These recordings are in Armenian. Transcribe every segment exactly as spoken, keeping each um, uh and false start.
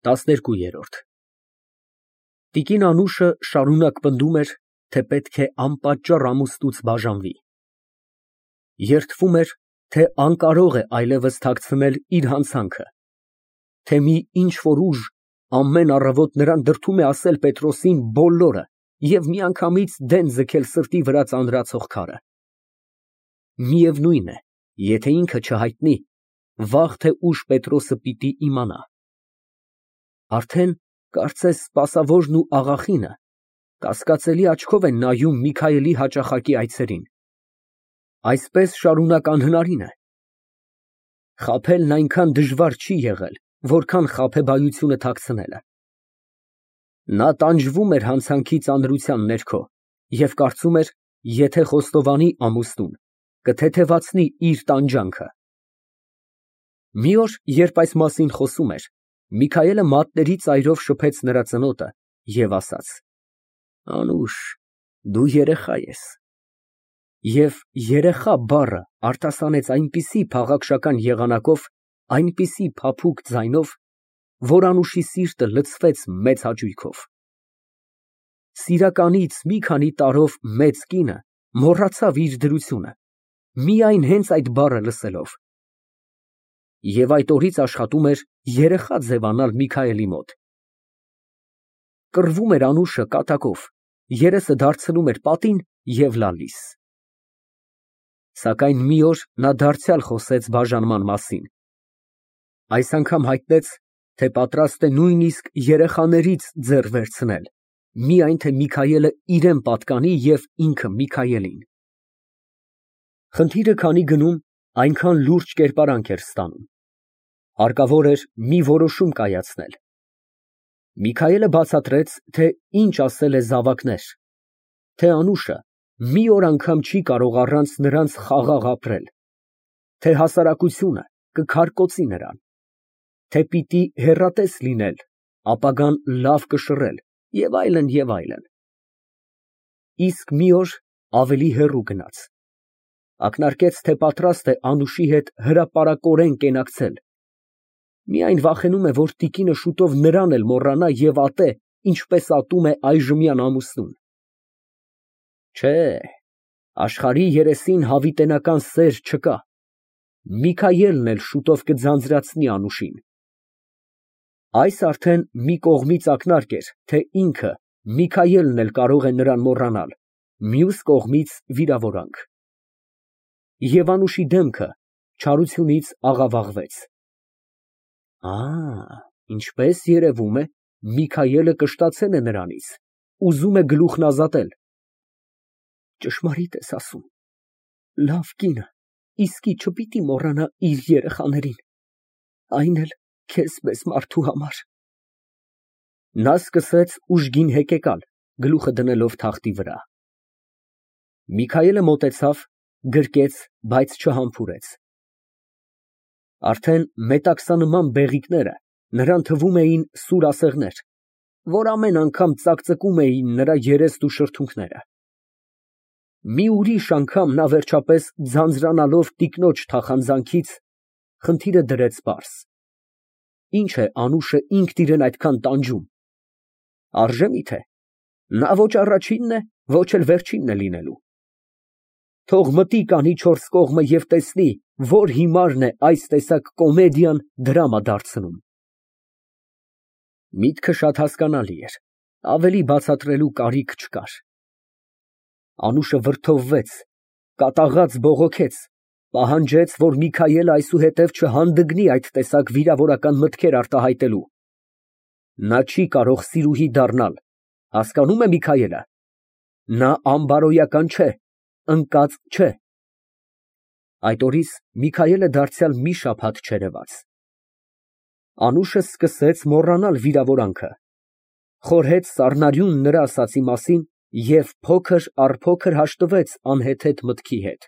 տասներկուերորդ Տիկին Անուշը շարունակ պնդում էր, թե պետք է անպատճառ ամուսնուց բաժանվի. երդվում էր, թե անկարող է այլևս թաքցնել իր հանցանքը, թե մի ինչ֊որ ուժ ամեն առավոտ նրան դրդում է ասել Պետրոսին բոլորը և միանգամից դեն ձգել սրտի վրա ծանրացող քարը։ Միևնույն է, եթե ինքը չհայտնի, վաղ թե ուշ Պետրոսը պիտի իմանա։ Արդեն, կարծես, սպասավորն ու աղախինը կասկածելի աչքով են նայում Միքայելի հաճախակի այցերին։ Այսպես շարունակ անհնարին է։ Խաբելն այնքան դժվար չի եղել, որքան խաբեբայությունը թաքցնելը։ Նա տանջվում էր հանցանքի ծանրության ներքո և կարծում էր, եթե խոստովանի ամուսնուն, կթեթևացնի իր տանջանքը։ Մի օր, երբ այս մասին խոսում էր, Միքայելը մատների ծայրով շփեց նրա ծնոտը և ասաց. Անուշ, դու երեխա ես։ Եվ երեխա բառը արտասանեց այնպիսի փաղաքշական եղանակով, այնպիսի փափուկ ձայնով, որ Անուշի սիրտը լցվեց մեծ հաճույքով։ Սիրականից մի քանի տարով մեծ կինը մոռացավ իր դրությունը, միայն հենց այդ բառը լսելով։ Եվ այդ օրից աշխատում էր երեխա ձևանալ Միքայելի մոտ։ Կռվում էր Անուշը կատակով, երեսը դարձնում էր պատին և լալիս։ Սակայն մի օր նա դարձյալ խոսեց բաժանման մասին։ Այս անգամ հայտնեց, թե պատրաստ է նույնիսկ երեխաներից ձեռ վերցնել, միայն թե Միքայելը իրան պատկանի և ինքը Միքայելին։ Խնդիրը քանի գնում, այնքան լուրջ կերպարանք էր ստանում։ Հարկավոր էր մի որոշում կայացնել։ Միքայելը բացատրեց, թե ինչ ասել է զավակներ, թե Անուշը մի օր անգամ չի կարող առանց նրանց խաղաղ ապրել, թե հասարակությունը կքարկոծի նրան, թե պիտի հեռատես լինել, ապագան լավ կշռել և այլն, և այլն։ Իսկ մի օր ավելի հեռու գնաց, ակնարկեց, թե պատրաստ է Անուշի հետ հրապարակորեն կենակցել, միայն վախենում է, որ տիկինը շուտով նրան էլ մոռանա և ատե, ինչպես ատում է այժմյան ամուսնուն։ Չէ, աշխարհի երեսին հավիտենական սեր չկա, Միքայելն էլ շուտով կձանձրացնի Անուշին։ Այս արդեն մի կողմից ակնարկ էր, թե ինքը, Միքայելն էլ կարող է նրան մոռանալ, մյուս կողմից վիրավորանք։ Եվ Անուշի դեմքը չարությունից աղավաղվեց։ Ա, ինչպես երևում է, Միքայելը կշտացել է նրանից, ուզում է գլուխն ազատել։ Ճշմարիտ ես ասում, լավ կինը իսկի չպիտի մոռանա իր երեխաներին, այն էլ քեզ պես մարդու համար։ Նա սկսեց ուժգին հեկեկալ, գլուխը դնելով թախտի վրա։ Միքայելը մոտեցավ, գրկեց, բայց չհամբուրեց։ Արդեն մետաքսանման բեղիկները նրան թվում էին սուր ասեղներ, որ ամեն անգամ ծակծկում էին նրա երեստ ու շրթունքները։ Մի ուրիշ անգամ նա վերջապես ձանձրանալով տիկնոջ թախանձանքից, խնդիրը դրեց պարզ. ինչ է Անուշը ինքն իրան այդքան տանջում։ Արժե՞ միթե, նա ոչ առաջինն է, ոչ էլ վերջինն է լինելու։ Թող մտի կանի չորս կողմը և տեսնի, որ հիմարն է այս տեսակ կոմեդիան դրամա դարձնում։ Միտքը շատ հասկանալի էր, ավելի բացատրելու կարիք չկար։ Անուշը վրդովվեց, կատաղած բողոքեց, պահանջեց, որ Միքայելը այսուհետև չհանդգնի այդ տեսակ վիրավորական մտքեր արտահայտելու։ Նա չի կարող սիրուհի դառնալ, հասկանո՞ւմ է Միքայելը։ Նա անբարոյական չէ, ընկած չէ։ Այդ օրից Միքայելը դարձյալ մի շաբաթ չերևաց։ Անուշը սկսեց մոռանալ վիրավորանքը, խորհեց սառնարյուն նրա ասածի մասին և փոքր առ փոքր հաշտվեց անհեթեթ մտքի հետ։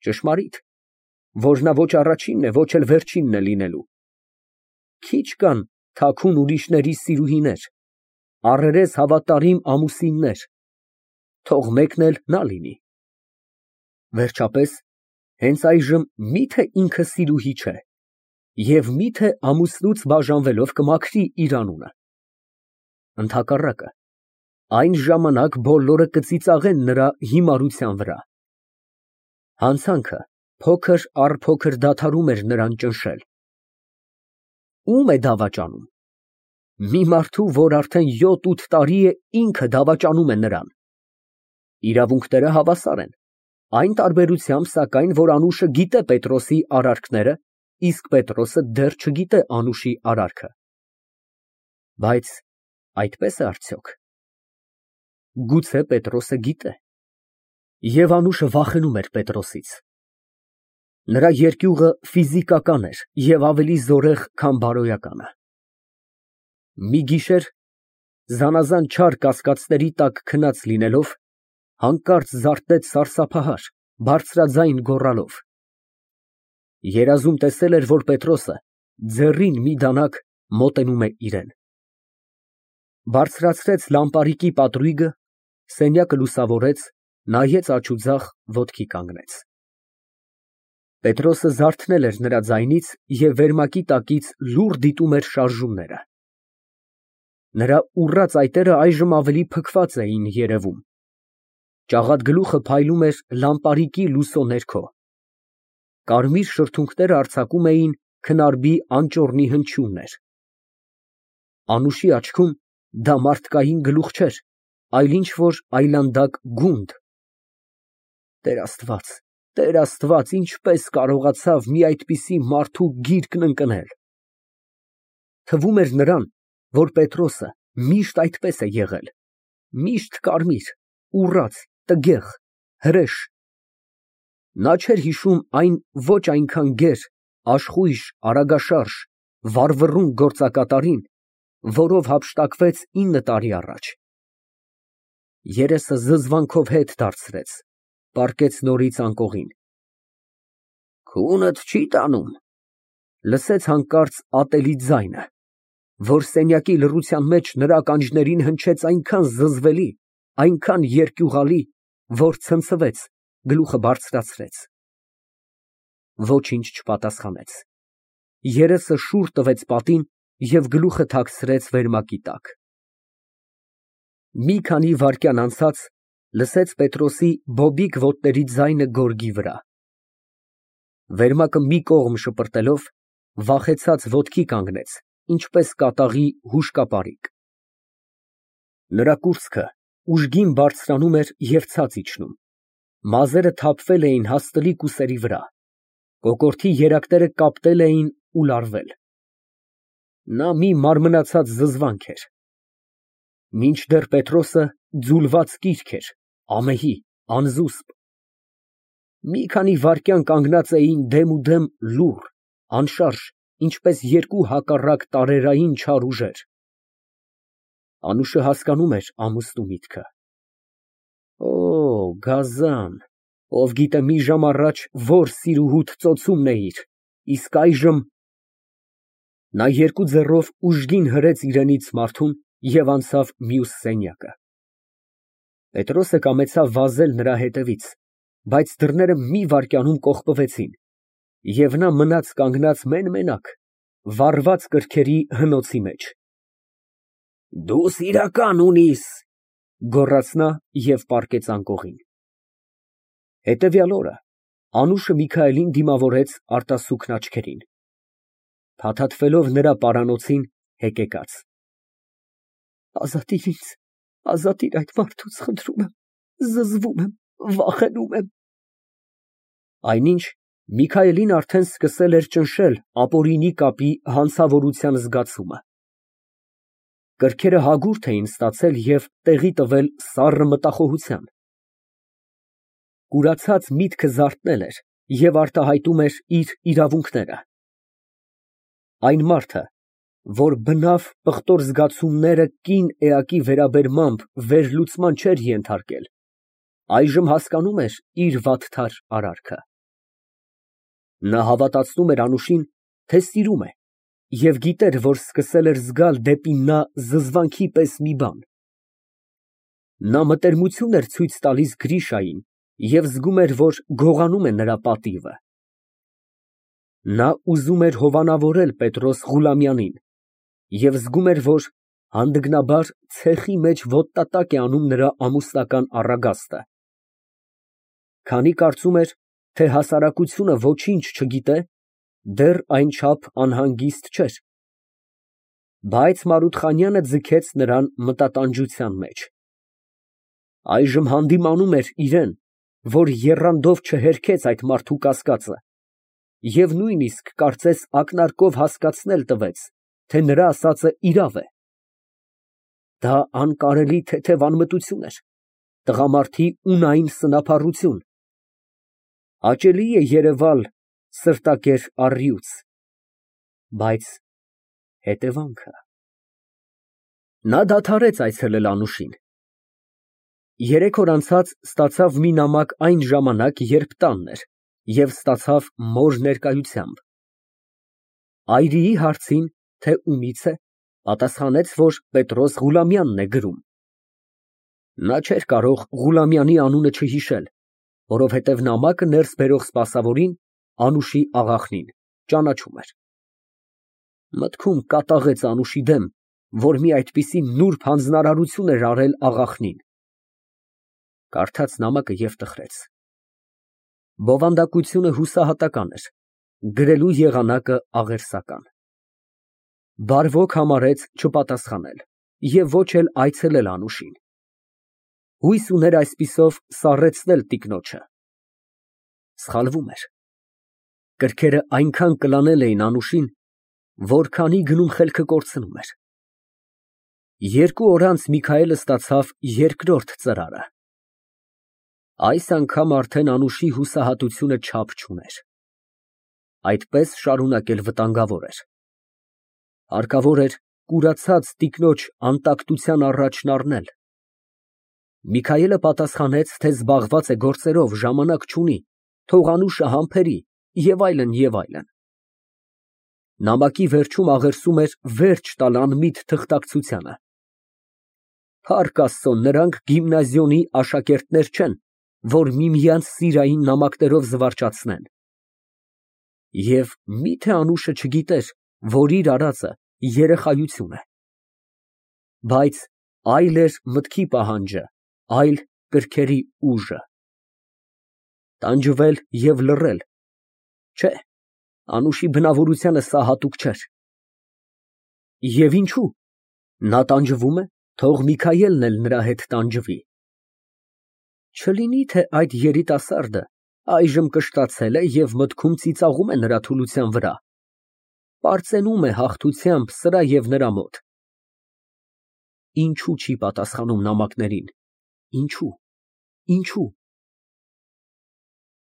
Ճշմարիտ, որ նա ոչ առաջինն է, ոչ էլ վերջինն է լինելու։ Քիչ կան թաքուն ուրիշների սիրուհիներ, առերես հավատարիմ ամուսիններ, թող մեկն էլ նա լինի։ Վերջապես, հենց այժմ մի՞թե ինքը սիրուհի չէ, Եվ մի՞թե ամուսնուց բաժանվելով կմաքրի իր անունը։ Ընդհակառակը, այն ժամանակ բոլորը կծիծաղեն նրա հիմարության վրա։ Հանցանքը փոքր առ փոքր դադարում էր նրան ճնշել։ Ո՞ւմ է դավաճանում։ Մի մարդու, որ արդեն յոթ֊ութ տարի է ինքը դավաճանում է նրան։ Իրավունքները հավասար են, այն տարբերությամբ, սակայն, որ Անուշը գիտե Պետրոսի արարքները, իսկ Պետրոսը դեռ չգիտե Անուշի արարքը։ Բայց այդպես է արդյոք։ Գուցե Պետրոսը գիտե։ Եվ Անուշը վախենում էր Պետրոսից։ Նրա երկյուղը ֆիզիկական էր և ավելի զորեղ, քան բարոյականը։ Մի գիշեր, զանազան չար կասկածների տակ քնած լինելով, հանկարծ զարթնեց սարսափահար, բարձրաձայն գոռալով։ Երազում տեսել էր, որ Պետրոսը ձեռին մի դանակ մոտենում է իրան։ Բարձրացրեց լամպարիկի պատրույգը, սենյակը լուսավորեց, նայեց աջ ու ձախ, ոտքի կանգնեց։ Պետրոսը զարթնել էր նրա ձայնից և վերմակի տակից լուռ դիտում էր շարժումները։ Նրա ուռած այտերը այժմ ավելի փքված էին երևում։ Ճաղատ գլուխը փայլում էր լամպարիկի լուսո ներքո։ Կարմիր շրթունքները արձակում էին քնարբի անճոռնի հնչյուններ։ Անուշի աչքում դա մարդկային գլուխ չէր, այլ ինչ֊որ այլանդակ գունդ։ Տեր Աստված, Տեր Աստված, ինչպես կարողացավ մի այդպիսի մարդու գիրկն ընկնել։ Թվում էր նրան, որ Պետրոսը միշտ այդպես է եղել, միշտ կարմիր, ուռած, տգեղ, հրեշ։ Նա չէր հիշում այն ոչ այնքան գեր, աշխույժ, արագաշարժ, վառվռուն գործակատարին, որով հափշտակվեց ինը տարի առաջ։ Երեսը զզվանքով հետ դարձրեց, պառկեց նորից անկողին։ Քունդ չի տանում, լսեց հանկարծ ատելի ձայնը, որ սենյակի լռության մեջ նրա ականջներին հնչեց այնքան զզվելի, այնքան երկյուղալի, որ ցնցվեց, գլուխը բարձրացրեց։ Ոչինչ չպատասխանեց։ Երեսը շուռ տվեց պատին և գլուխը թաքցրեց վերմակի տակ։ Մի քանի վայրկյան անցած լսեց Պետրոսի բոբիկ ոտների ձայնը գորգի վրա։ Վերմակը մի կողմ շպրտելով, վախեցած ոտքի կանգնեց, ինչպես կատաղի հուշկապարիկ։ Նրա կուրծքը ուժգին բարձրանում էր և ցած իջնում, մազերը թափվել էին հաստլիկ ուսերի վրա, կոկորդի երակները կապտել էին ու լարվել։ Նա մի մարմնացած զզվանք էր։ Մինչդեռ Պետրոսը ձուլված կիրք էր, ամեհի, անզուսպ։ Մի քանի վայրկյան կանգնած էին դեմուդեմ լուռ, անշարժ, ինչպես երկու հակառակ տարերային չար ուժեր։ Անուշը հասկանում էր ամուսնու միտքը։ Օ, գազան, ով գիտե մի ժամ առաջ որ սիրուհուդ ծոցումն էիր, իսկ այժմ… Նա երկու ձեռով ուժգին հրեց իրենից մարդուն և անցավ մյուս սենյակը։ Պետրոսը կամեցավ վազել նրա հետևից, բայց դռները մի վայրկյանում կողպվեցին, և նա մնաց կանգնած մեն֊մենակ, վառված կրքերի հնոցի մեջ։ Դու սիրական ունիս, գոռաց նա և պառկեց անկողին։ Հետևյալ օրը Անուշը Միքայելին դիմավորեց արտասուքն աչքերին, փաթաթվելով նրա պարանոցին, հեկեկած։ Ազատիր ինձ, ազատիր այդ մարդուց, խնդրում եմ, զզվում եմ, վախենում եմ։ Այնինչ Միքայելին արդեն սկսել էր ճնշել ապօրինի կապի հանցավորության զգացումը։ Կրքերը հագուրդ էին ստացել և տեղի տվել սառը մտախոհության։ Կուրացած միտքը զարթնել էր և արտահայտում էր իր իրավունքները։ Այն մարդը, որ բնավ պղտոր զգացումները կին էակի վերաբերմամբ վերլուծման չէր ենթարկել, այժմ հասկանում էր իր վատթար արարքը։ Նա հավատացնում էր Անուշին, թե սիրում է, և գիտեր, որ սկսել էր զգալ դեպի նա զզվանքի պես մի բան։ Նա մտերմություն էր ցույց տալիս Գրիշային և զգում էր, որ գողանում է նրա պատիվը։ Նա ուզում էր հովանավորել Պետրոս Ղուլամյանին և զգում էր, որ հանդգնաբար ցեխի մեջ ոտնատակ է անում նրա ամուսնական առագաստը։ Քանի կարծում էր, թե հասարակությունը ոչինչ չգիտե, դեռ այնչափ անհանգիստ չէր։ Բայց Մարութխանյանը ձգեց նրան մտատանջության մեջ։ Այժմ հանդիմանում էր իրան, որ եռանդով չհերքեց այդ մարդու կասկածը և նույնիսկ կարծես ակնարկով հասկացնել տվեց, թե նրա ասածը իրավ է։ Դա անկարելի թեթև անմտություն էր, տղամարդի ունային սնափառություն։ Հաճելի է երևալ սրտակեր առյուծ, բայց հետևանքը… Նա դադարեց այցելել Անուշին։ Երեք օր անցած ստացավ մի նամակ այն ժամանակ, երբ տանն էր, և ստացավ մոր ներկայությամբ։ Այրիի հարցին, թե ումից է, պատասխանեց, որ Պետրոս Ղուլամյանն է գրում։ Նա չէր կարող Ղուլամյանի անունը չհիշել, որովհետև նամակը ներս բերող սպասավորին, Անուշի աղախնին, ճանաչում էր։ Մտքում կատաղեց Անուշի դեմ, որ մի այդպիսի նուրբ հանձնարարություն էր արել աղախնին։ Կարդաց նամակը և տխրեց։ Բովանդակությունը հուսահատական էր, գրելու եղանակը աղերսական։ Բարվոք համարեց չպատասխանել և ոչ էլ այցելել Անուշին։ Հույս ուներ այսպիսով սառեցնել տիկնոջը։ Սխալվում էր։ Կրքերը այնքան կլանել էին Անուշին, որքանի գնում խելքը կորցնում էր։ Երկու օր անց Միքայելը ստացավ երկրորդ ծրարը։ Այս անգամ արդեն Անուշի հուսահատությունը չափ չուներ։ Այդպես շարունակել վտանգավոր էր։ Հարկավոր էր կուրացած տիկնոջ անտակտության առաջն առնել։ Միքայելը պատասխանեց, թե զբաղված է գործերով, ժամանակ չունի, թող Անուշը համբերի և այլն, և այլն։ Նամակի վերջում աղերսում էր վերջ տալ անմիտ թղթակցությանը։ Փառք Աստծո, նրանք գիմնազիոնի աշակերտներ չեն, որ միմյանց սիրային նամակներով զվարճացնեն։ Եվ մի՞թե Անուշը չգիտեր, որ իր արածը երեխայություն է։ Բայց այլ էր մտքի պահանջը, այլ կրքերի ուժը։ Տանջվել և լռել… Չէ, Անուշի բնավորությանը սա հատուկ չէր։ Եվ ինչո՞ւ, նա տանջվում է, թող Միքայելն էլ նրա հետ տանջվի։ Չլինի՞ թե այդ երիտասարդը այժմ կշտացել է և մտքում ծիծաղում է նրա թուլության վրա, պարծենում է հաղթությամբ սրա և նրա մոտ։ Ինչո՞ւ չի պատասխանում նամակներին, ինչո՞ւ, ինչո՞ւ։